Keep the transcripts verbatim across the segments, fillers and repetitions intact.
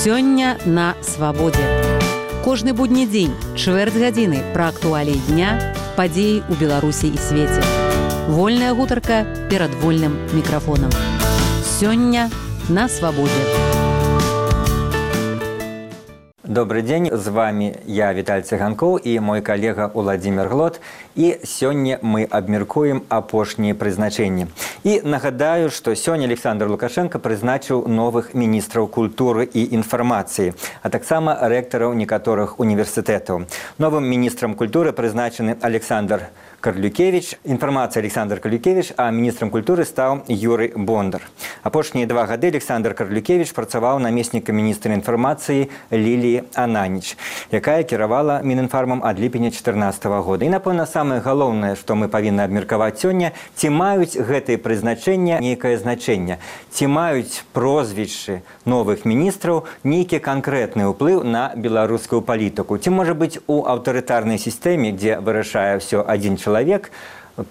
Сёння на свабодзе. Кожны будні дзень, чвэрць гадзіны пра актуаліі дня, падзеі ў Беларусі і свеце. Вольная гутарка перад вольным мікрафонам. Сёння на свабодзе. Добрый день, з вами я, Віталь Цыганкоў, і мой калега Уладзімір Глот. І сёння мы абмяркуем апошнія прызначэнні. І нагадаю, што сёння Александр Лукашенко прызначыў новых міністраў культуры і інфармацыі, а таксама рэктараў некаторых універсітэтаў. Новым міністрам культуры прызначаны Александр Карлюкевич, інфармацыя Александр Карлюкевич, а міністрам культуры стаў Юрый Бондар. Апошнія два гады Александр Карлюкевич працаваў намеснікам міністра інфармацыі Ліліі Ананіч, якая кіравала Мінінфармам ад ліпеня чатырнаццатага года. І, напэўна, самае галоўнае, што мы павінны абмеркаваць сёння, ці маюць гэтыя прызначэння нейкае значэнне, ці маюць прозвішчы новых міністраў нейкі канкрэтны ўплыў на беларускую палітыку. Ці, можа быць, у аўтарытарнай сістэме, дзе вырашае ўсё адзін чалавек, Человек,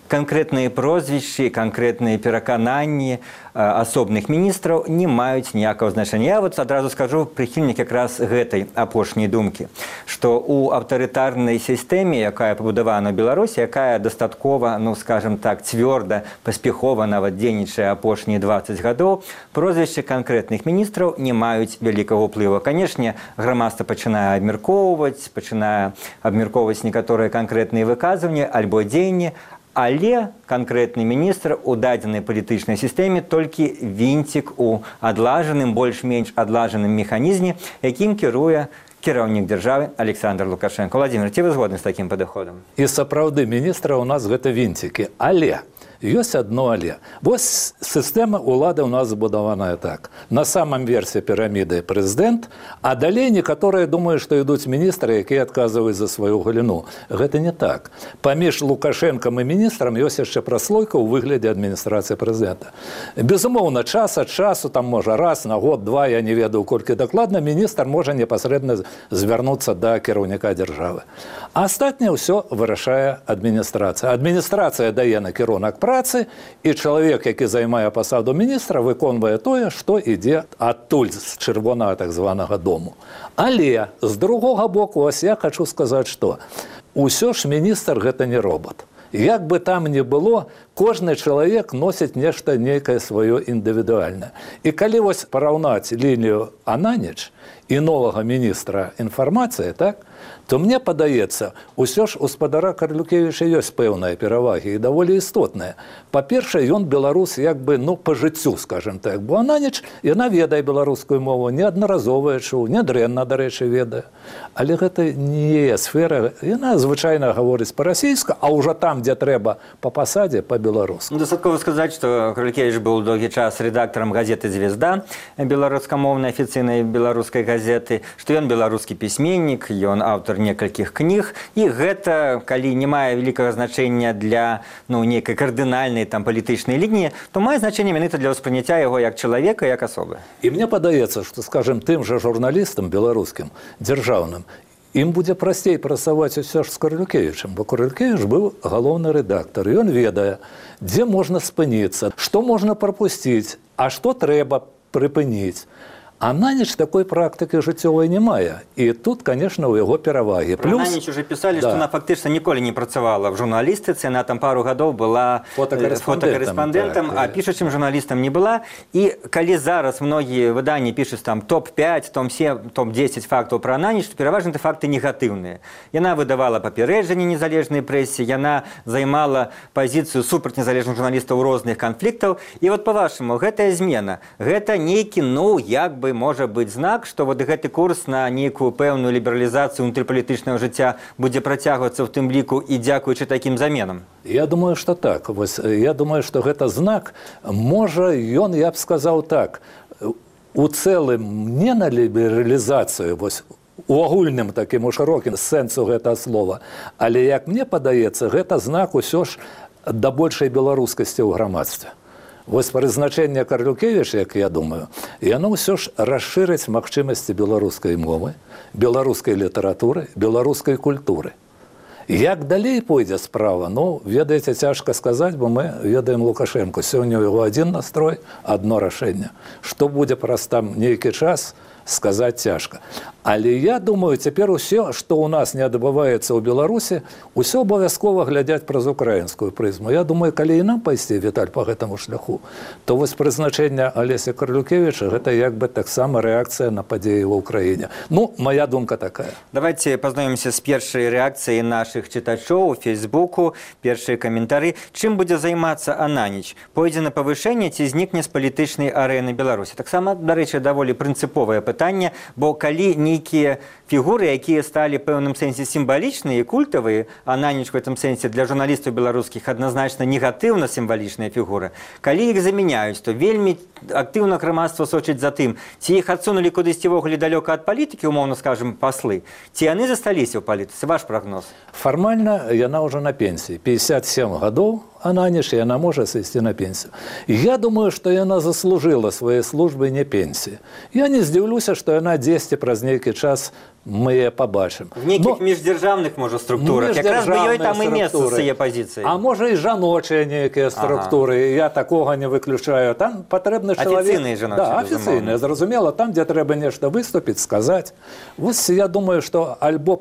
конкретные прозвища, конкретные перакананні асобных міністраў не маюць ніякага значення. Я вот адразу скажу прыхільнік якраз гэтай апошняй думкі, што ў аўтарытарнай сістэме, якая пабудавана ў Беларусі, якая дастаткова, ну скажем так, цвёрда, паспяхова нават дзейнічае апошнія дваццаць гадоў, прозвішчы канкрэтных міністраў не маюць вялікага ўплыву. Канешне, грамадства пачынае абмяркоўваць, пачынае абмяркоўваць некаторыя канкрэтныя выказванні альбо дзеянні, але канкрэтны міністр у дадзенай палітычнай сістэме толькі вінцік у адлажаным, больш-менш адлажаным механізме, якім кіруе кіраўнік дзяржавы Александр Лукашенко. Владимир, ці вы згодны з такім падыходам? І сапраўды міністра ў нас гэта вінцікі, але ёсць одно але. Вось сістэма ўлады ў нас збудаваная так. На самом версе піраміды прэзідэнт, а далей некаторыя думаюць, што ідуць міністры, якія адказваюць за сваю галіну. Гэта не так. Паміж Лукашэнкам і міністрам ёсць яшчэ праслойка ў выглядзе адміністрацыі прэзідэнта. Безумоўна, час ад часу, там можа раз на год, два, я не ведаю колькі дакладна, міністр можа непасрэдна звярнуцца да кіраўніка дзяржавы. А астатняе ўсё вырашае адміністрацыя. Адміністрацыя дае накірунак працы, і чалавек, які займае пасаду міністра, выконвае тое, што ідзе адтуль з чырвонага так званага дому. Але з другога боку, ось я хочу сказаць, што усё ж міністр гэта не робот. Як бы там ни было, кожны чалавек носіць нешта нейкае сваё індывідуальнае. І калі вось параўнаць Лілію Ананіч і новага міністра інфармацыі, так, то мне падаецца, усё ж у спадара Карлюкевіча ёсць пэўныя перавагі і даволі істотныя. Па-першае, ён беларус як бы, ну, па жыццю, скажем так. Бо Ананіч, яна ведае беларускую мову, неаднаразова чуў, нядрэнна, дарэчы, ведае. Але гэта не сфера, яна звычайна гаворыць па-расійска, а ўжо там, дзе трэба па пасадзе, па-беларуску. Дастаткова сказаць, што Карлюкевіч быў доўгі час рэдактарам газеты «Звезда», беларускамоўнай афіцыйнай беларускай газеты, што ён беларускі пісьменнік, ён аўтар некалькіх кніг, і гэта, калі не мае вялікага значэння для, ну, нейкай кардынальнай там палітычнай лініі, то мае значэнне менавіта для ўспрыняцця яго як чалавека, як асобы. І мне падаецца, што, скажем, тым жа журналістам беларускім, дзяржаўным, ім будзе прасцей працаваць усё ж з Карлюкевічам, бо Карлюкевіч быў галоўны рэдактар, і ён ведае, дзе можна спыніцца, што можна прапусціць, а што трэба прыпыніць. Ананіч такой практыкі жыццёвай не мае. І тут, конечно, у яго перавагі. Плюс... Ананіч уже пісалі, да, што она фактычна ніколі не працавала в журналістыцы, она там пару гадоў была фотакарэспандэнтам, так, а пішучым журналістам не была. І калі зараз многія выданні пішуць там топ пяць, топ сем, топ дзесяць фактаў пра Ананіч, то пераважна факты негатыўныя. Яна выдавала папярэджанні незалежнай прэсе, яна займала пазіцыю супраць незалежных журналістаў розных канфліктаў. І вот па-вашаму, гэтая змена, гэта нейкі, ну, як бы можа быць знак, што вот гэты курс на нейкую пэўную лібералізацыю унутрыпалітычнага жыцця будзе працягвацца ў тым ліку і дзякуючы такім заменам? Я думаю, што так. Вось, я думаю, што гэта знак. Можа, ён, я б сказаў так, у цэлым не на лібералізацыю, вось, у агульным такім у шырокім сэнсу гэтага слова, але, як мне падаецца, гэта знак усё ж да большай беларускасці ў грамадстве. Вось прызначэнне Карлюкевіча, як я думаю, яно ўсё ж расшырыць магчымасці беларускай мовы, беларускай літаратуры, беларускай культуры. Як далей пойдзе справа, ну, ведаеце, цяжка сказаць, бо мы ведаем Лукашенко. Сёння ў яго адзін настрой, адно рашэнне. Што будзе праз там нейкі час, сказаць цяжка. Але я думаю, цяпер усё, што ў нас не адбываецца ў Беларусі, усё абавязкова глядзяць праз украінскую прызму. Я думаю, калі і нам пайсці, Віталь, по гэтаму шляху, то вось прызначэнне Алеся Карлюкевіча гэта як бы таксама рэакцыя на падзеі ва ўкраіне. Ну, моя думка такая. Давайте познаёмся з першай рэакцыяй нашых чытачоў у Фейсбуку. Першыя каментары. Чым будзе займацца Ананіч? Пойдзе на павышэнне ці знікне з палітычнай арэны Беларусі? Таксама, дарэчы, даволі прынцыповае пытанне, бо калі нейкія фігуры, якія сталі пэўным сэнсе сімвалічныя і культавыя, Ананіч в гэтым сэнсе для журналістаў беларускіх адназначна негатыўна сімвалічная фігура, калі іх замяняюць, то вельмі актыўна грамадства сочыць за тым, ці іх адсунулі кудысьці ввогуле далёка ад палітыкі, умоўна скажем, паслы, ці яны засталіся ў палітыцы? Ваш прагноз? Фармальна яна ўжо на пенсіі. пятьдесят семь гадоў, Ананіч, яна можа сысці на пенсію. Я думаю, што яна заслужыла сваёй службы не пенсіі. Я не здзіўлюся, што яна дзесьці праз нейкі час мы яе пабачым. В нейкіх міждзяржаўных, можа, структурах. Якраз бы ёй там і месца з яе пазіцыяй. А можа, і жаночыя нейкія структуры. Ага. Я такога не выключаю. Там патрэбны чалавек... Афіцыйныя жаночыя, да, афіцыйныя, зразумела. Там, дзе трэба нешта выступіць, сказаць. Вось я думаю, што альбо,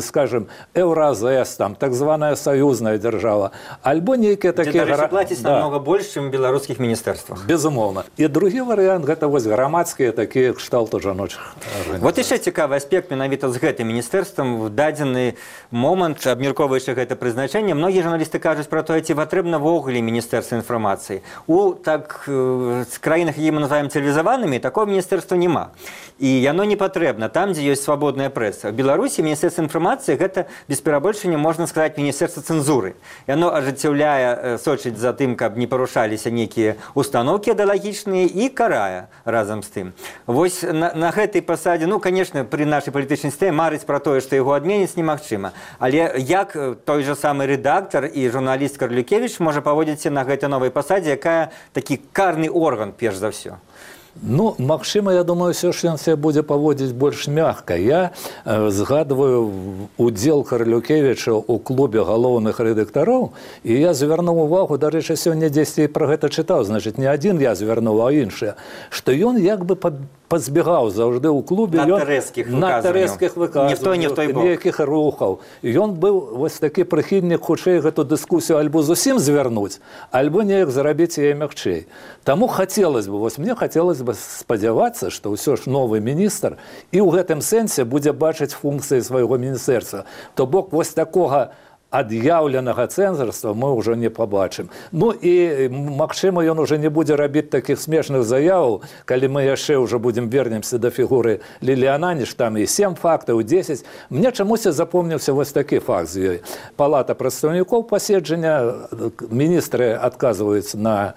скажем, Еўразэс, там, так званая саюзная дзяржава, альбо нейкія такія... Дзе, дарэчы, плаціць да. намного больш, чым у беларускіх міністэрствах. Безумоўна. І другі варыянт, гэта вось грамадскія такія кшталту жаночых арганізацый. Вот яшчэ цікавы аспект менавіта з гэтым міністэрствам. В дадзены момант, абмяркоўваючы гэта прызначэнне, многія журналісты кажуць пра тое, ці патрэбна ввогуле міністэрства інфармацыі. У так з краінах, які мы называем цывілізаванымі, такого міністэрства няма. І яно не патрэбна там, дзе ёсць свабодная прэса. В Беларусі міністэрства інфармацыі гэта без перабольшання, можна сказаць, міністэрства цэнзуры. Яно ажыццяўляе, сочыць за тым, каб не парушаліся нейкія установкі ідэалагічныя і карае разам з тым. Вось на, на гэтай пасадзе, ну, конечно, при нашай палітычнай сістэме марыць пра тое, што яго адменіць немагчыма. Але як той жа самы рэдактар і журналіст Карлюкевіч можа паводзіцца на гэтай новай пасадзе, якая такі карны орган, перш за ўсё? Ну, магчыма, я думаю, ўсё ж ён себе будзе паводзіць больш мякка. Я э, згадваю удзел Карлюкевіча ў клубе галоўных рэдактароў, і я звярнуў увагу, дарэчы, сёння дзесьці пра гэта чытаў, значыць, не адзін я звярнуў, а іншыя, што ён як бы пазбегаў заўжды ў клубе надта рэзкіх выказванняў, нейкіх рухаў. Ён быў вось такі прыхільнік хутчэй гэту дыскусію альбо зусім звярнуць, альбо неяк зарабіць яе мякчэй. Таму хацелось бы, вось мне хацелось бы спадзявацца, што ўсё ж новы міністр і ў гэтым сэнсе будзе бачыць функцыі свайго міністэрства. То бок вось такога ад'яўленага цэнзарства мы ўжо не пабачым. Ну і, магчыма, ён уже не будзе рабіць такіх смешных заяваў, калі мы яшчэ ўжо будзем вернемся да фігуры Лілі Ананіч, там і сем фактаў, дзесяць. Мне чамусь запомніўся вось такі факт з ёй. Палата прадстаўнікоў паседжання, міністры адказваюць на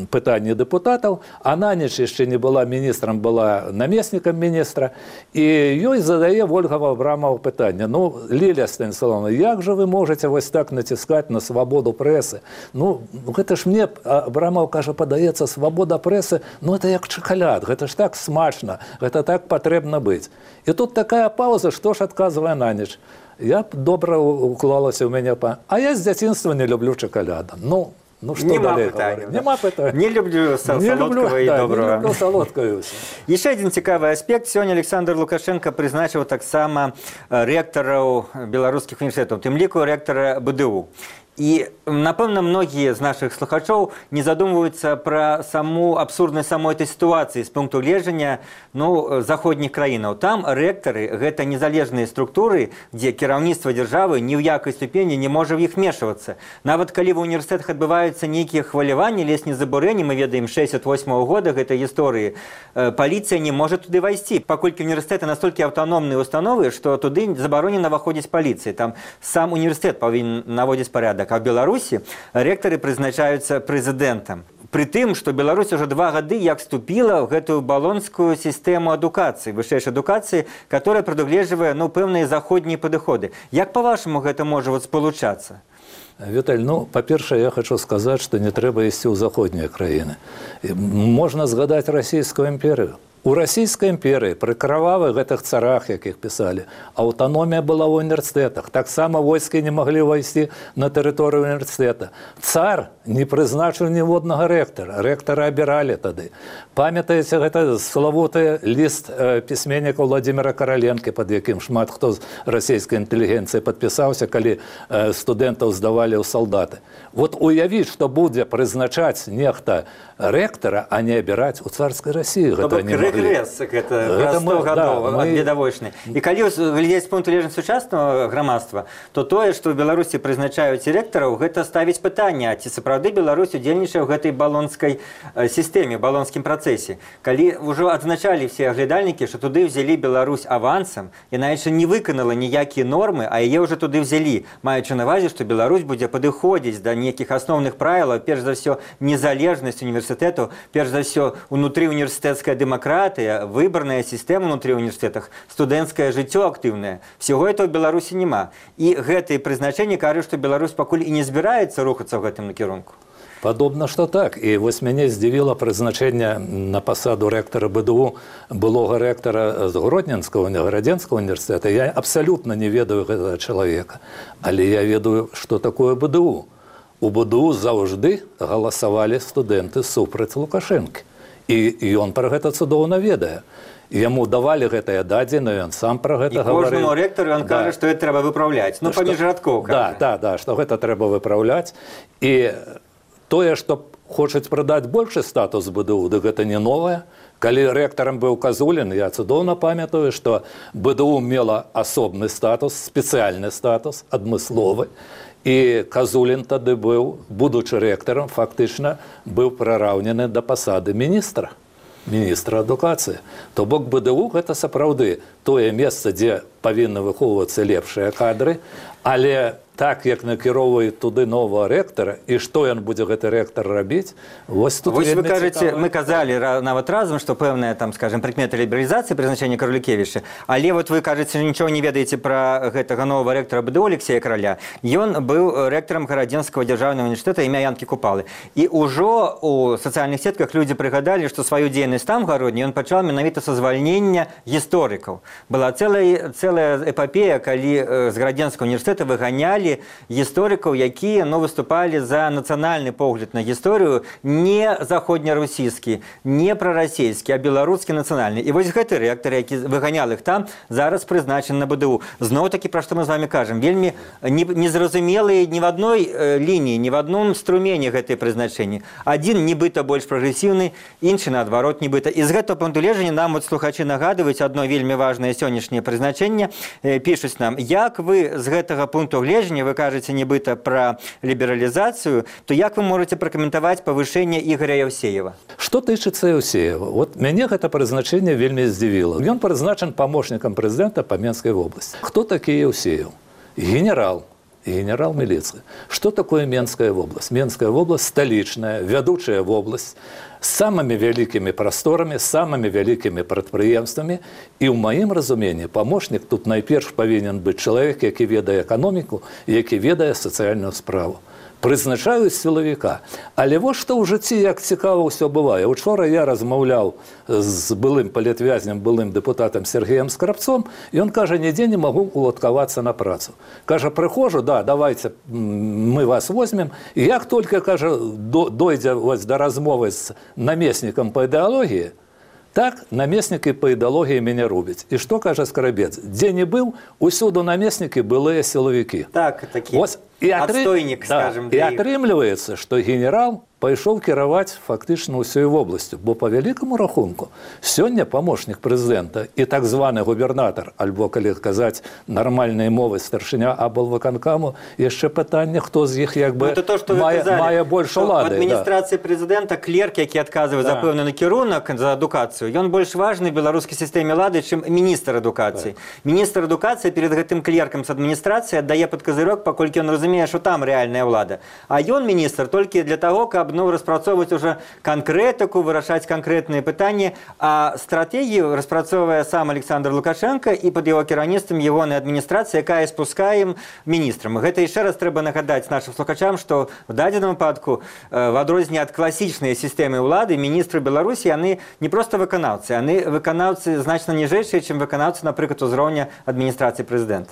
пытанні дэпутатаў. Ананіч яшчэ не была міністрам, была намеснікам міністра, і ёй задае Ольга Абрамова пытанне: ну, Лілія Станіславовна, як жа вы можаце вось так націскаць на свабоду прэсы? Ну, гэта ж мне, Абрамов кажа, падаецца, свабода прэсы, ну, это як чакаляд, гэта ж так смачна, гэта так патрэбна быць. І тут такая пауза, што ж адказвае Ананіч: я б добра уклалася ў мяне, а я з дзяцінства не люблю чакаляда. Ну, Ну, что Нема далее питания. Нема питания. Не люблю солодкого и да, доброго. Не люблю солодкого. Еще один цікавый аспект. Сегодня Александр Лукашенко призначил так само ректоров белорусских университетов, тем лику ректора БДУ. І, напэўна, многія з нашых слухачоў не задумваюцца пра саму абсурднасць самой этой сітуацыі з пункту гледжання, ну, заходніх краінаў. Там рэктары – гэта незалежныя структуры, дзе кіраўніцтва дзяржавы ні ў якай ступені не можа в іх вмешвацца. Нават калі ва ўніверсітэтах адбываюцца нейкія хваляванні, лесні забурэнні, мы ведаем шэсцьдзесят восьмага года гэтай гісторыі, паліцыя не можа туды вайсці, паколькі універсітэты настолькі аўтаномныя установы, што туды забаронена выходзіць паліцыі. Там сам універсітэт павінен наводзіць парядак. А в Беларусі рэктары прызначаюцца прэзідэнтам. Пры тым, што Беларусь уже два гады як вступіла ў гэтую балонскую сістэму адукацыі, вышэйшай адукацыі, которая прадугледжвае, ну, пэўныя заходнія падыходы. Як, па-вашаму, гэта можа вот спалучацца? Віталь, ну, па-першае, я хочу сказаць, што не трэба ісці ў заходнія краіны. Можна згадаць расійскую імперію. У расійскай імперыі пры крывавых гэтых царах, якіх пісалі, аўтаномія была ў універсітэтах. Таксама войскі не маглі ўвайсці на тэрыторыю універсітэта. Цар не прызначыў ніводнага рэктара. Рэктара абіралі тады. Памятаеце, гэта славуты ліст э, пісьменніка Владимира Караленкі, пад якім шмат хто з расійскай інтэлігенцыі падпісаўся, калі э, студэнтаў здавалі ў салдаты. Вот уявіць, што будзе прызначаць нехта рэктара, а не абіраць у царскай Расіі. Гэта не маглі. Рэгрэс, гэта праз сто гадоў ад відавочны. І калі глядзець з пункту гледжання сучаснага грамадства, то тое, што ў Беларусі прызначаюць рэктараў, гэта ставіць пытанне, ці сапраўды Беларусь удзельнічае ў гэтай балонскай сістэме, балонскім працэсе. Калі ўжо адзначалі все аглядальнікі, што туды ўзялі Беларусь авансам, яна яшчэ не выканала ніякія нормы, а яе ўжо туды ўзялі, маючы на ўвазе, што Беларусь будзе падыходзіць да нейкіх асноўных правілаў, перш за ўсё незалежнасць універсітэту, перш за ўсё унутры універсітэцкая дэмакратыя, выбарная сістэма ўнутры універсітэтах, студэнцкае жыццё актыўнае. Всего этого в Беларусі няма. І гэтыя прызначэнні кажуць, што Беларусь пакуль і не збіраецца рухацца ў гэтым накірунку. Падобна, што так. І вось мяне здзівіла прызначэнне на пасаду рэктара БДУ, былога рэктара з Гродненскага, Гарадзенскага універсітэта. Я абсалютна не ведаю гэтага чалавека. Але я ведаю, што такое БДУ. У БДУ заўжды галасавалі студэнты супраць Лукашэнкі. І ён пра гэта цудоўна ведае. Яму давалі гэтыя дадзеныя, ён сам пра гэта гаварыў. І кожнаму рэктару ён кажа, што гэта трэба выпраўляць. Ну, паміж радкоў, Да, кажа. да, да, што гэта трэба выпраўляць. І тое, што хочуць прадаць большы статус БДУ, дык гэта не новае. Калі рэктарам быў Казулін, я цудоўна памятаю, што БДУ мела асобны статус, спецыяльны статус, адмысловы. І Казулін тады быў, будучы рэктарам, фактычна быў прараўнены да пасады міністра. Міністра адукацыі. То бок БДУ гэта сапраўды тое месца, дзе павінны выхоўвацца лепшыя кадры, але так, як накіроўваюць туды новага рэктара, і што ён будзе гэты рэктар рабіць, вось тут вось вельмі вы кажаце, цікава. мы казалі нават разам, што пэўная, там, скажем, прыкмета лібералізацыі прызначэння Карулікевіча, але вот вы кажаце, нічого не ведаеце пра гэтага новага рэктара БДУ Алексея Караля. Ён быў рэктарам Гарадзенскага дзяржаўнага універсітэта імя Янкі Купалы. І ўжо у сацыяльных сетках людзі прыгадалі, што сваю дзейнасць там гародні ён пачаў менавіта са звальнення гісторыкаў. Была цэлая, цэлая эпапея, калі з Гарадзенскага універсітэта выганялі гісторыкаў, якія ну, выступалі за нацыянальны погляд на гісторыю не заходнерусійскі, не прарасійскі, а беларускі нацыянальны. І вось гэты рэктар, які выганял іх там, зараз прызначаны на БДУ. Зноў-такі, пра што мы з вами кажам, вельмі незразумелыя ні в адной лініі, ні в адном струмені гэтыя прызначэнні. Адзін нібыта больш прагрэсіўны, іншы наадварот нібыта. І з гэтага пункту гледжання нам вот слухачы нагадваюць адно вельмі важнае сённяшняе прызначэнне. Пішуць нам, як вы з гэтага пункту гледжання, вы кажаце нібыта пра лібералізацыю, то як вы можаце пракаментаваць павышэнне Ігоря Яўсеева? Што тычыцца Яўсеева? Вот мяне гэта прызначэнне вельмі здзівіла. Ён прызначан памочнікам прэзідэнта па Менскай вобласці. Хто такі Яўсеев? Генерал. Генерал міліцыі. Што такое Менская вобласць? Менская вобласць сталічная, вядучая вобласць, з самымі вялікімі прасторамі, з самымі вялікімі прадпрыемствамі. І ў маім разуменні памочнік тут найперш павінен быць чалавек, які ведае эканоміку, які ведае сацыяльную справу. Прызначаюць сілавіка. Але вось што ў жыцці, як цікава ўсё бывае. Учора я размаўляў з былым палітвязнем, былым дэпутатам Сергеем Скрабцом, і ён кажа, нідзе не магу уладкавацца на працу. Кажа, прыхожу, да, давайте мы вас возьмем. І як толькі, кажа, дойдзе да размовы з намеснікам па ідэалогіі, так, намеснікі па ідэалогіі мяне рубяць. І што кажа Скрабец? Дзе не быў, усюду намеснікі былыя сілавікі. Так, такі і атры... адстойнік, да, скажем. І атрымліваецца, што генерал пайшоў кіраваць фактычна ўсёй вобласцю, бо па вялікаму рахунку сёння памочнік прэзідэнта і так званы губернатар, альбо, калі казаць нармальнай мовай, старшыня аблвыканкаму, яшчэ пытанне, хто з іх як бы ну, то, мае, казали, мае больш улады. У адміністрацыі да. прэзідэнта клерк, які адказвае да. за пэўны накірунак за адукацыю, ён больш важны в беларускай сістэме лады, чым міністр адукацыі. Да. Міністр адукацыі перед гэтым клеркам з адміністрацыі аддае пад казырок, паколькі ён разумее, што там рэальная ўлада. А ён міністр толькі для таго, каб ну, распрацоўваць уже канкрэтыку, вырашаць канкрэтныя пытанні, а стратэгію распрацоўвае сам Александр Лукашенко і пад яго кіраўніцтвам ягонай адміністрацыі, якая спускаем міністрам. Гэта яшчэ раз трэба нагадаць нашым слухачам, што в дадзеным выпадку в адрозненне ад класічнай сістэмы ўлады міністры Беларусі яны не проста выканаўцы, яны выканаўцы значна ніжэйшыя, чым выканаўцы, напрыклад, узроўня адміністрацыі прэзідэнта.